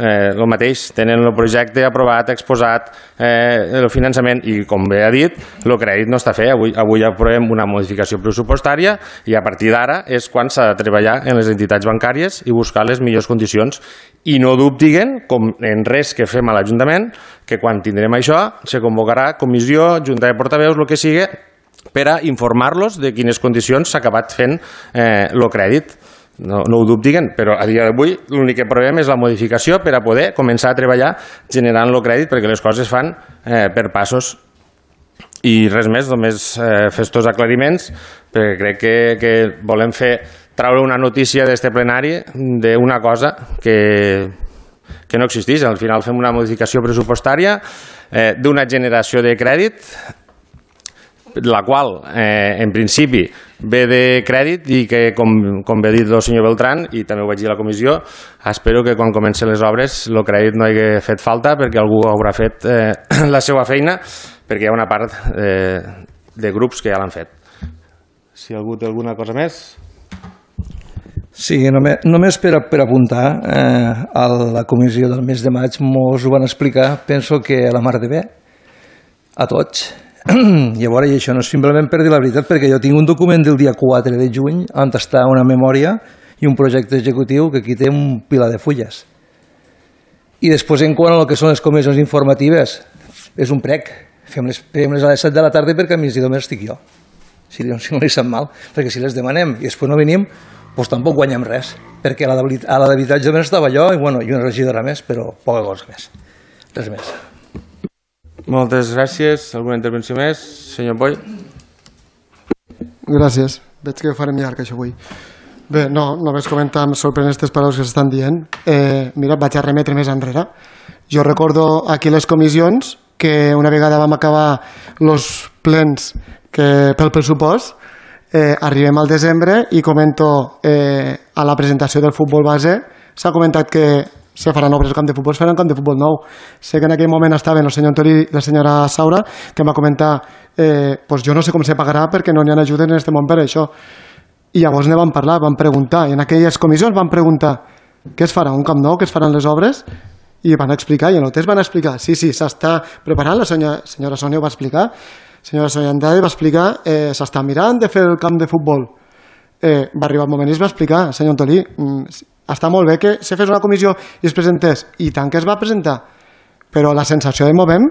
el mateix, tenen el projecte aprovat, exposat, el finançament i, com bé ha dit, el crèdit no està fet. Avui aprovem una modificació pressupostària i a partir d'ara és quan s'ha de treballar en les entitats bancàries i buscar les millors condicions. I no dubtiguen, com en res que fem a l'Ajuntament, que quan tindrem això se convocarà comissió, junta de portaveus, el que sigui, per a informar-los de quines condicions s'ha acabat fent el crèdit. No ho dubtiguen, però a dia d'avui l'únic que provem és la modificació per a poder començar a treballar generant el crèdit perquè les coses fan per passos. I res més, només fer estos aclariments, perquè crec que volem traure una notícia d'este plenari d'una cosa que no existeix. Al final fem una modificació pressupostària d'una generació de crèdit la qual, en principi, ve de crèdit i que, com bé ha dit el senyor Beltrán, i també ho vaig dir a la comissió, espero que quan comencen les obres el crèdit no hagi fet falta perquè algú haurà fet la seva feina, perquè hi ha una part de grups que ja l'han fet. Si algú té alguna cosa més... Sí, només per apuntar, a la comissió del mes de maig mos ho van explicar, penso que a la mar de bé, a tots. Llavors, i això no és simplement per dir la veritat, perquè jo tinc un document del dia 4 de juny on està una memòria i un projecte executiu que aquí té un pilar de fulles. I després, en quant a el que són les comissions informatives, és un prec. Fem-les a les 7 de la tarda perquè a migdia només estic jo, si no li sap mal, perquè si les demanem i després no venim, doncs tampoc guanyem res, perquè a la d'habitatge només estava jo i una regidora més, però poca cosa més. Res més. Moltes gràcies. Alguna intervenció més? Senyor Boi. Gràcies. Veig que farem llarg això avui. Bé, no, només comentar, em sorprenen aquestes paraules que s'estan dient. Mira, vaig a remetre més enrere. Jo recordo aquí les comissions que una vegada vam acabar els plens pel pressupost, arribem al desembre i comento a la presentació del futbol base, s'ha comentat que se faran obres al camp de futbol, es faran camp de futbol nou. Sé que en aquell moment estaven el senyor Antolí i la senyora Saura, que em va comentar pues jo no sé com se pagarà perquè no n'hi ha ajudes en aquest món per això. I llavors ne vam parlar, vam preguntar, i en aquelles comissions vam preguntar què es farà, un camp nou, què es faran les obres, i van explicar, i en el test van explicar, sí, s'està preparant, la senyora Sònia ho va explicar, la senyora Sònia Andrade va explicar, s'està mirant de fer el camp de futbol. Va arribar el moment i es va explicar, senyor Antolí, està molt bé que se fes una comissió i es presentés, i tant que es va presentar, però la sensació de moment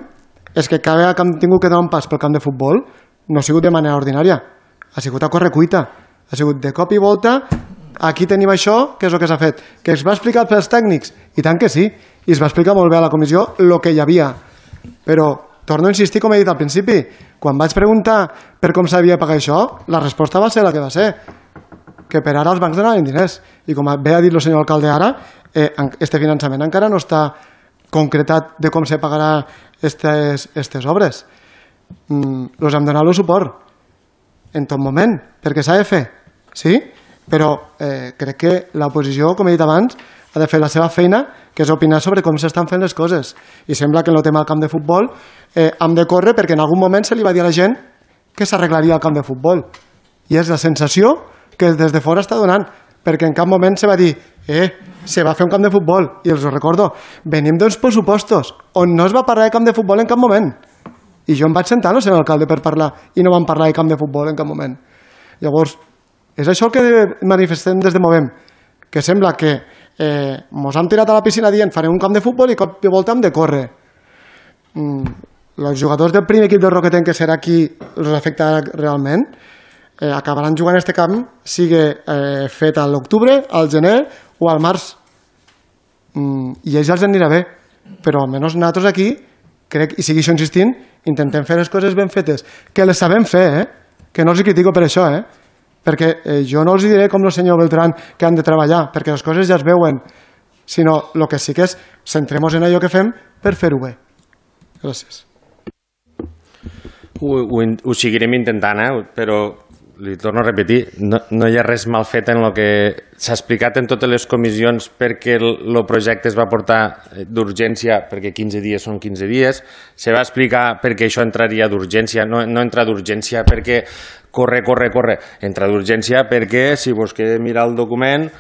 és que cada vegada que hem tingut que donar un pas pel camp de futbol no ha sigut de manera ordinària, ha sigut a correcuita, ha sigut de cop i volta, aquí tenim això, què és el que s'ha fet, que es va explicar pels tècnics, i tant que sí, i es va explicar molt bé a la comissió el que hi havia, però torno a insistir, com he dit al principi, quan vaig preguntar per com s'havia de pagar això, la resposta va ser la que va ser, que per ara els bancs donaven diners, i com bé ha dit el senyor alcalde ara, este finançament encara no està concretat de com se pagarà aquestes obres. Els hem donat el suport en tot moment, perquè s'ha de fer, sí? Però crec que l'oposició, com he dit abans, ha de fer la seva feina, que és opinar sobre com s'estan fent les coses. I sembla que en el tema del camp de futbol hem de córrer perquè en algun moment se li va dir a la gent que s'arreglaria el camp de futbol. I és la sensació que des de fora està donant, perquè en cap moment se va dir se va fer un camp de futbol. I els ho recordo, venim d'uns pressupostos on no es va parlar de camp de futbol en cap moment. I jo em vaig sentar al senyor alcalde per parlar i no vam parlar de camp de futbol en cap moment. Llavors, és això el que manifestem des de Movem, que sembla que mos han tirat a la piscina dient farem un camp de futbol i cop de volta hem de córrer. Els jugadors del primer equip del Roquetenc, que serà qui els afectarà realment, acabaran jugant en aquest camp, sigui fet a l'octubre, al gener o al març. I a ells els anirà bé, però almenys nosaltres aquí, crec, i segueixo insistint, intentem fer les coses ben fetes, que les sabem fer, que no els critico per això, perquè jo no els diré com el senyor Beltrán que han de treballar, perquè les coses ja es veuen, sinó el que sí que és centrem-nos en allò que fem per fer-ho bé. Gràcies. Ho seguirem intentant, però li torno a repetir, no hi ha res mal fet en el que s'ha explicat en totes les comissions perquè el projecte es va portar d'urgència, perquè 15 dies són 15 dies, se va explicar perquè això entraria d'urgència, no entra d'urgència perquè corre, entra d'urgència perquè, si vos queda mirar el document,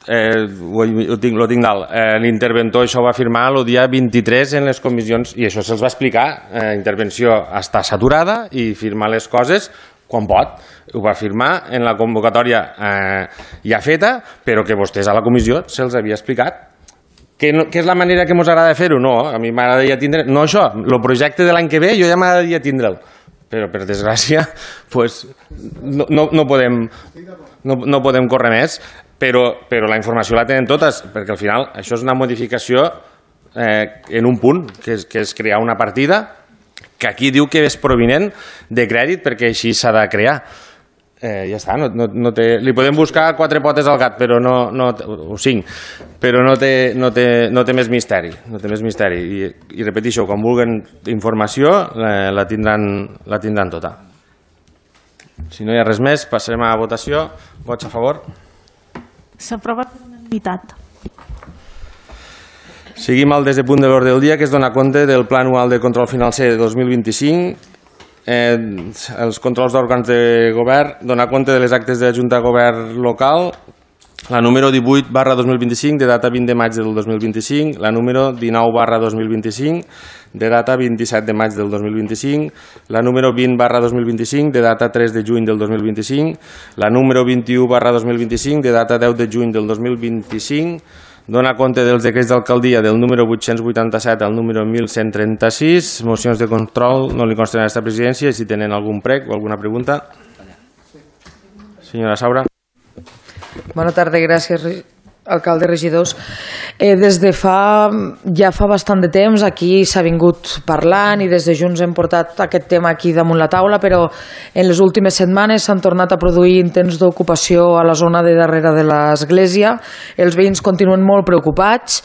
lo tinc dalt, l'interventor això va firmar el dia 23 en les comissions i això se'ls va explicar, intervenció està saturada i firmar les coses quan pot, ho va firmar en la convocatòria ja feta, però que vostès a la comissió se'ls havia explicat. Que és la manera que ens agrada fer-ho? No, a mi m'agradaria tindre... No això, el projecte de l'any que ve jo ja m'agradaria tindre'l, però per desgràcia no podem córrer més. Però la informació la tenen totes, perquè al final això és una modificació en un punt, que és crear una partida que aquí diu que és provinent de crèdit perquè així s'ha de crear. Ja està, li podem buscar 4 potes al gat, però o 5, però no té més misteri. I repeteixo, quan vulguin informació la tindran tota. Si no hi ha res més, passarem a la votació. Vots a favor? S'aprova per unanimitat. Seguim al desè punt de l'ordre del dia, que és donar compte del Pla Anual de Control Financer de 2025, els controls d'òrgans de govern, donar compte de les actes de la Junta de Govern local, la número 18/2025, de data 20 de maig del 2025, la número 19/2025, de data 27 de maig del 2025, la número 20/2025, de data 3 de juny del 2025, la número 21/2025, de data 10 de juny del 2025, dona compte dels decrets d'alcaldia del número 887 al número 1136, mocions de control no li consten a aquesta presidència, si tenen algun prec o alguna pregunta. Senyora Saura. Bona tarda, gràcies, alcalde, regidors. Des de ja fa bastant de temps aquí s'ha vingut parlant i des de Junts hem portat aquest tema aquí damunt la taula, però en les últimes setmanes s'han tornat a produir intents d'ocupació a la zona de darrere de l'església. Els veïns continuen molt preocupats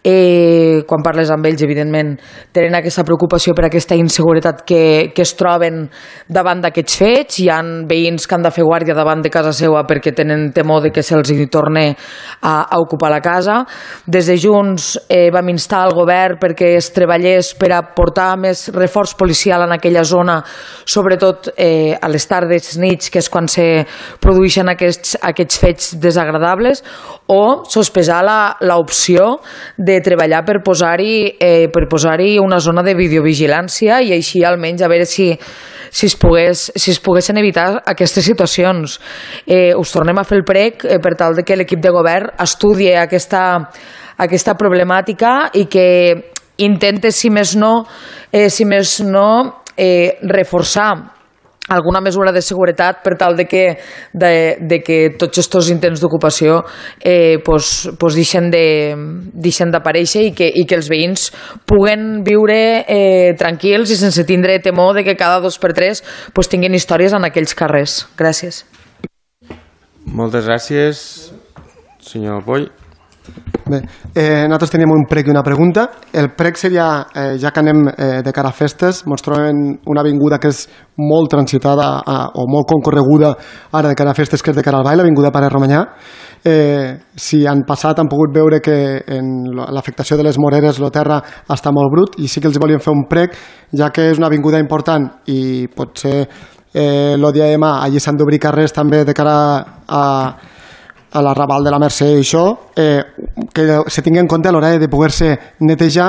quan parles amb ells, evidentment, tenen aquesta preocupació per aquesta inseguretat que es troben davant d'aquests fets. Hi ha veïns que han de fer guàrdia davant de casa seva perquè tenen temor de que se'ls torni a ocupar la casa. Des de Junts vam instar el govern perquè es treballés per a portar més reforç policial en aquella zona, sobretot a les tardes, nits, que és quan se produeixen aquests fets desagradables, o sospesar l'opció de treballar per posar-hi una zona de videovigilància i així almenys a veure si es poguessin evitar aquestes situacions. Us tornem a fer el prec per tal que l'equip de govern estudi aquesta problemàtica i que intente, si més no, reforçar alguna mesura de seguretat per tal de que tots aquests intents d'ocupació deixen d'aparèixer i que els veïns puguen viure tranquils i sense tindre temor de que cada 2 per 3 tinguin històries en aquells carrers. Gràcies. Moltes gràcies, senyor Poll. Bé, nosaltres teníem un prec i una pregunta. El prec seria, ja que anem de cara a festes, ens trobem en una avinguda que és molt transitada o molt concorreguda ara de cara a festes, que és de cara al ball, l'avinguda Pare Romanyà. Si han passat han pogut veure que en l'afectació de les moreres el terra està molt brut, i sí que els volíem fer un prec, ja que és una avinguda important i potser el dia de demà allí s'han d'obrir carrers també de cara a la Raval de la Mercè i això, que se tingui en compte a l'hora de poder-se netejar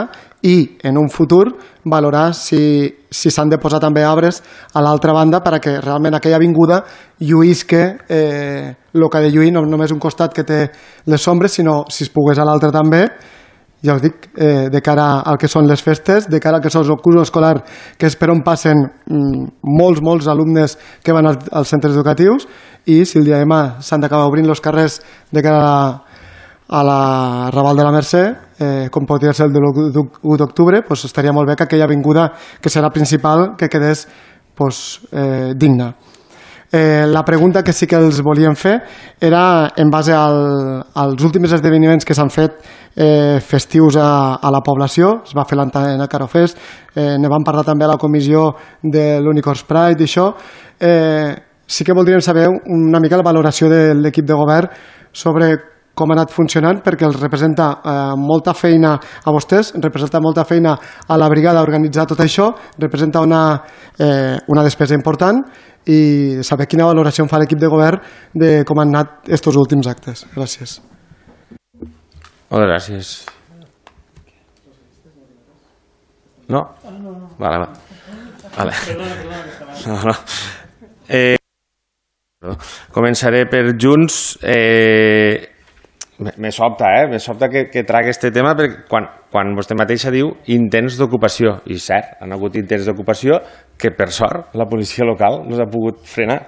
i en un futur valorar si s'han de posar també arbres a l'altra banda perquè realment aquella avinguda lluïsca el que ha de lluir, no només un costat que té les ombres, sinó si es pogués a l'altre també. Ja us dic, de cara al que són les festes, de cara al que són el curs escolar, que és per on passen molts alumnes que van als centres educatius, i si el dia de demà s'han d'acabar obrint els carrers de cara a la Raval de la Mercè, com podria ser el de l'1 d'octubre, estaria molt bé que aquella avinguda, que serà principal, que quedés digna. La pregunta que sí que els volíem fer era en base als últims esdeveniments que s'han fet festius a la població. Es va fer l'Antena Carofest, ne vam parlar també a la comissió de l'Unicorns Pride i això. Sí que voldríem saber una mica la valoració de l'equip de govern sobre com ha anat funcionant, perquè els representa molta feina a vostès, representa molta feina a la brigada organitzar tot això, representa una despesa important, i saber quina valoració en fa l'equip de govern de com han anat aquests últims actes. Gràcies. Moltes gràcies. No? Vale. Començaré per Junts. Me sobta que tragui aquest tema, perquè quan vostè mateixa diu intents d'ocupació, i cert, han hagut intents d'ocupació que per sort la policia local no s'ha pogut frenar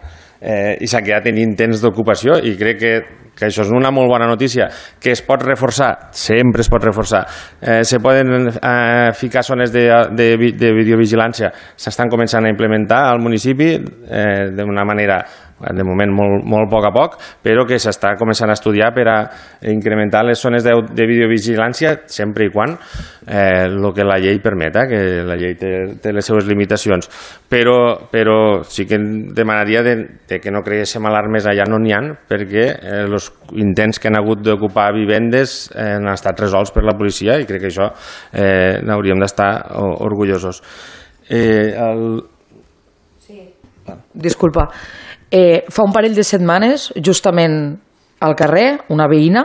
i s'ha quedat en intents d'ocupació, i crec que això és una molt bona notícia. Que es pot reforçar, sempre es pot reforçar. Se poden ficar zones de videovigilància, s'estan començant a implementar al municipi d'una manera, de moment molt poc a poc, però que s'està començant a estudiar per a incrementar les zones de videovigilància sempre i quan el que la llei permeta, que la llei té les seves limitacions. Però sí que demanaria de que no creguéssim alarmes allà no n'hi ha, perquè els intents que han hagut d'ocupar vivendes han estat resolts per la policia, i crec que això n'hauríem d'estar orgullosos. Disculpa. Fa un parell de setmanes, justament al carrer, una veïna,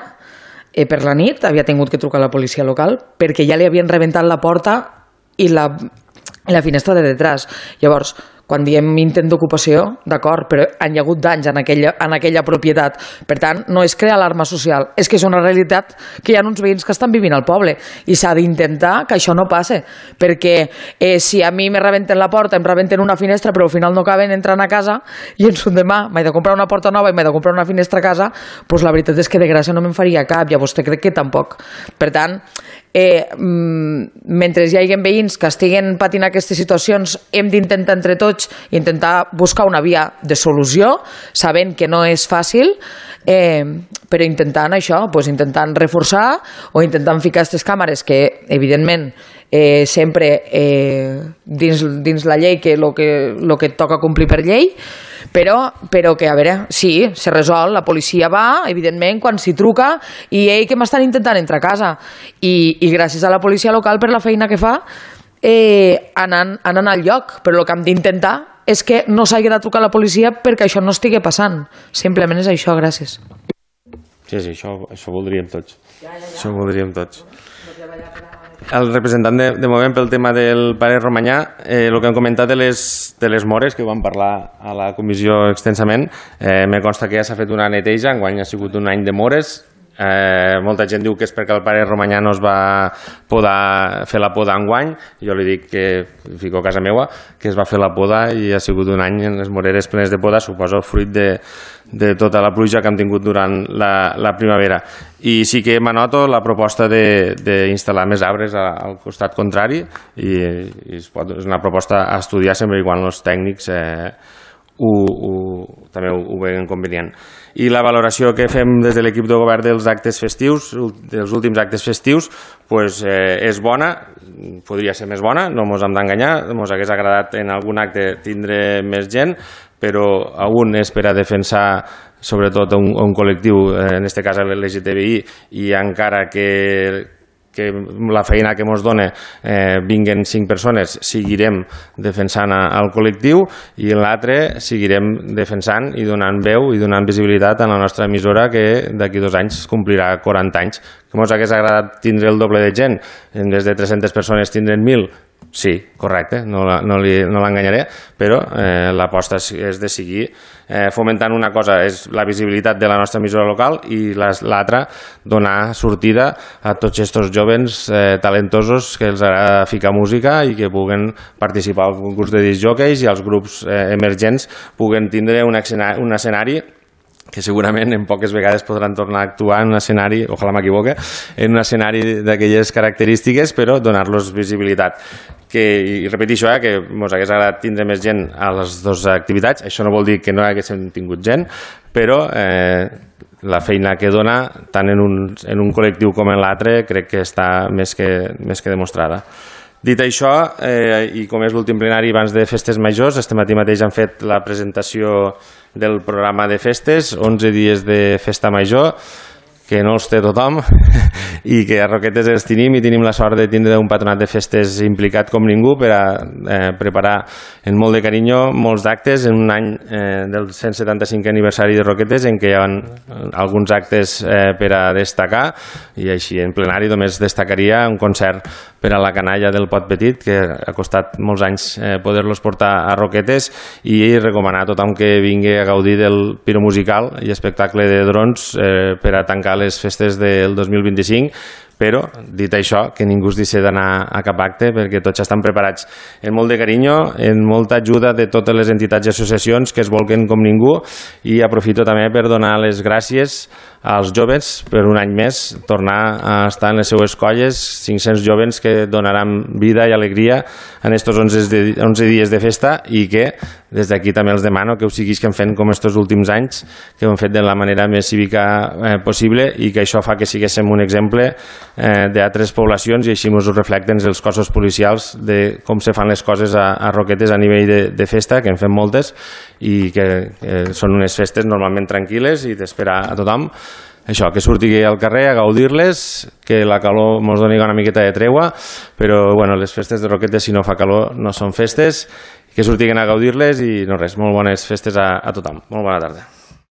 per la nit, havia tingut que trucar a la policia local perquè ja li havien rebentat la porta i la finestra de detrás. Llavors, quan diem intent d'ocupació, d'acord, però han hi hagut danys en aquella propietat. Per tant, no és crear alarma social, és que és una realitat que hi ha uns veïns que estan vivint al poble i s'ha d'intentar que això no passe, perquè si a mi me rebenten la porta, em rebenten una finestra, però al final no acaben entrant a casa i ens un demà m'he de comprar una porta nova i m'he de comprar una finestra a casa, doncs la veritat és que de gràcia no me'n faria cap, i a vostè crec que tampoc. Per tant, mentre hi hagi veïns que estiguen patint aquestes situacions, hem d'intentar entre tots intentar buscar una via de solució, sabent que no és fàcil, però intentant això, intentant reforçar o intentant ficar aquestes càmeres que, evidentment, sempre dins la llei, que el que toca complir per llei, però que, a veure, sí, se resol, la policia va, evidentment, quan s'hi truca, i que m'estan intentant entrar a casa. I gràcies a la policia local per la feina que fa, anant al lloc, però el que hem d'intentar és que no s'hagi de trucar a la policia perquè això no estigui passant. Simplement és això, gràcies. Sí, això voldríem tots. Això voldríem tots. El representant de moment pel tema del pare Romanyà, el que han comentat de les mores, que ho vam parlar a la comissió extensament, me consta que ja s'ha fet una neteja, enguany ha sigut un any de mores. Molta gent diu que és perquè el pare Romanyà no es va poder fer la poda enguany. Jo li dic que fico a casa meua que es va fer la poda i ha sigut un any en les moreres plenes de poda, suposo fruit de tota la pluja que hem tingut durant la primavera. I sí que m'anoto la proposta d'instal·lar més arbres al costat contrari, i és una proposta a estudiar sempre i quan els tècnics també ho veuen convenient. I la valoració que fem des de l'equip de govern dels actes festius, dels últims actes festius, és bona, podria ser més bona, no ens hem d'enganyar, ens hagués agradat en algun acte tindre més gent, però un és per a defensar sobretot un col·lectiu, en aquest cas l'LGTBI, i encara que la feina que ens dona vinguen 5 persones, seguirem defensant el col·lectiu, i en l'altre seguirem defensant i donant veu i donant visibilitat a la nostra emissora, que d'aquí 2 anys complirà 40 anys. Que ens hagués agradat tindre el doble de gent, en vez de 300 persones tindrem 1.000, sí, correcte, no l'enganyaré, però l'aposta és de seguir fomentant una cosa, és la visibilitat de la nostra emissora local, i l'altra, donar sortida a tots aquests jovens talentosos que els agrada ficar música i que puguen participar al concurs de disc jockeys, i els grups emergents puguen tindre un escenari que segurament en poques vegades podran tornar a actuar en un escenari, ojalà m'equivoque, en un escenari d'aquelles característiques, però donar-los visibilitat. I repeteixo, que ens hagués agradat tindre més gent a les 2 activitats. Això no vol dir que no haguéssim tingut gent, però la feina que dona, tant en un col·lectiu com en l'altre, crec que està més que demostrada. Dit això, i com és l'últim plenari abans de festes majors, este matí mateix han fet la presentació del programa de festes, 11 dies de festa major, que no els té tothom, i que a Roquetes els tenim, i tenim la sort de tindre un patronat de festes implicat com ningú per a preparar en molt de carinyo molts d'actes en un any del 175 aniversari de Roquetes, en què hi ha alguns actes per a destacar, i així en plenari només destacaria un concert per a la canalla del Pot Petit, que ha costat molts anys poder-los portar a Roquetes, i recomanar a tothom que vingui a gaudir del piro musical i espectacle de drons per a tancar les festes del 2025, però, dit això, que ningú es deixi d'anar a cap acte, perquè tots estan preparats amb molt de carinyo, amb molta ajuda de totes les entitats i associacions que es volquen com ningú, i aprofito també per donar les gràcies als joves per un any més tornar a estar en les seues colles, 500 joves que donaran vida i alegria en estos 11 dies de festa, i que des d'aquí també els demano que ho seguisquen fent com estos últims anys, que ho han fet de la manera més cívica possible, i que això fa que siguéssim un exemple d'altres poblacions, i així ens ho reflecten els cossos policials de com se fan les coses a Roquetes a nivell de festa, que en fem moltes, i que són unes festes normalment tranquil·les i d'esperar a tothom. Això, que surti al carrer a gaudir-les, que la calor ens doni una miqueta de tregua, però bueno, les festes de Roquetes, si no fa calor, no són festes, que surtin a gaudir-les, i no res, molt bones festes a tothom. Molt bona tarda.